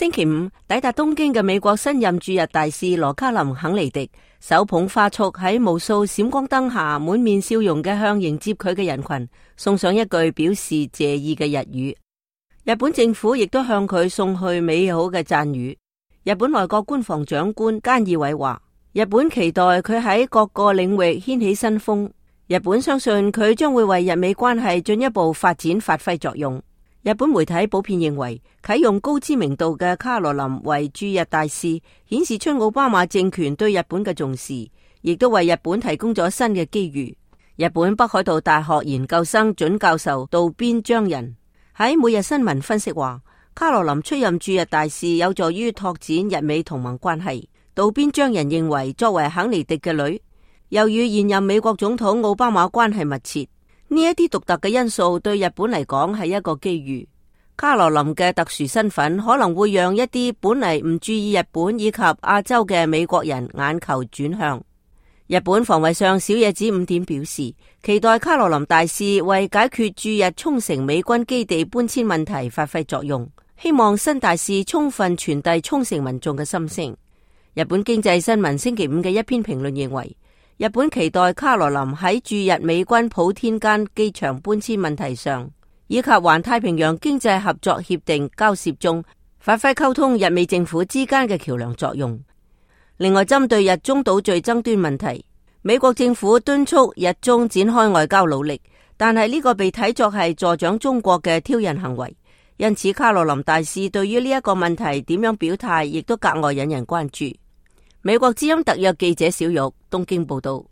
星期五抵達東京嘅美國新任駐日大使羅卡林肯尼迪手捧花束喺無數閃光燈下滿面笑容嘅向迎接佢嘅人群送上一句表示謝意嘅日語。日本政府亦都向佢送去美好嘅讚譽。日本內閣官房長官菅義偉話，日本期待佢喺各個領域掀起新風。日本相信佢將會為日美關係進一步發展發揮作用。日本媒體普遍認為，啟用高知名度嘅卡羅琳為駐日大使，顯示出奧巴馬政權對日本嘅重視，亦都為日本提供咗新嘅機遇。日本北海道大學研究生准教授渡邊彰人喺每日新聞分析話，卡羅琳出任駐日大使有助於拓展日美同盟關係。渡邊彰人認為，作為肯尼迪嘅女，又與現任美國總統奧巴馬關係密切，呢一啲獨特嘅因素對日本嚟講係一個機遇。卡羅琳嘅特殊身份可能會讓一啲本嚟唔注意日本以及亞洲嘅美國人眼球轉向。日本防衛相小野寺五典表示，期待卡羅琳大使為解決駐日沖繩美軍基地搬遷問題發揮作用，希望新大使充分傳遞沖繩民眾嘅心聲。日本經濟新聞星期五嘅一篇評論認為，日本期待卡羅琳喺駐日美軍普天間機場搬遷問題上，以及環太平洋經濟合作協定交涉中，發揮溝通日美政府之間嘅橋樑作用。另外，針對日中島嶼爭端問題，美國政府敦促日中展開外交努力，但係呢個被睇作係助長中國嘅挑釁行為。因此，卡羅琳大使對於呢一個問題點樣表態，亦都格外引人關注。美國之音特約記者小玉東京報道。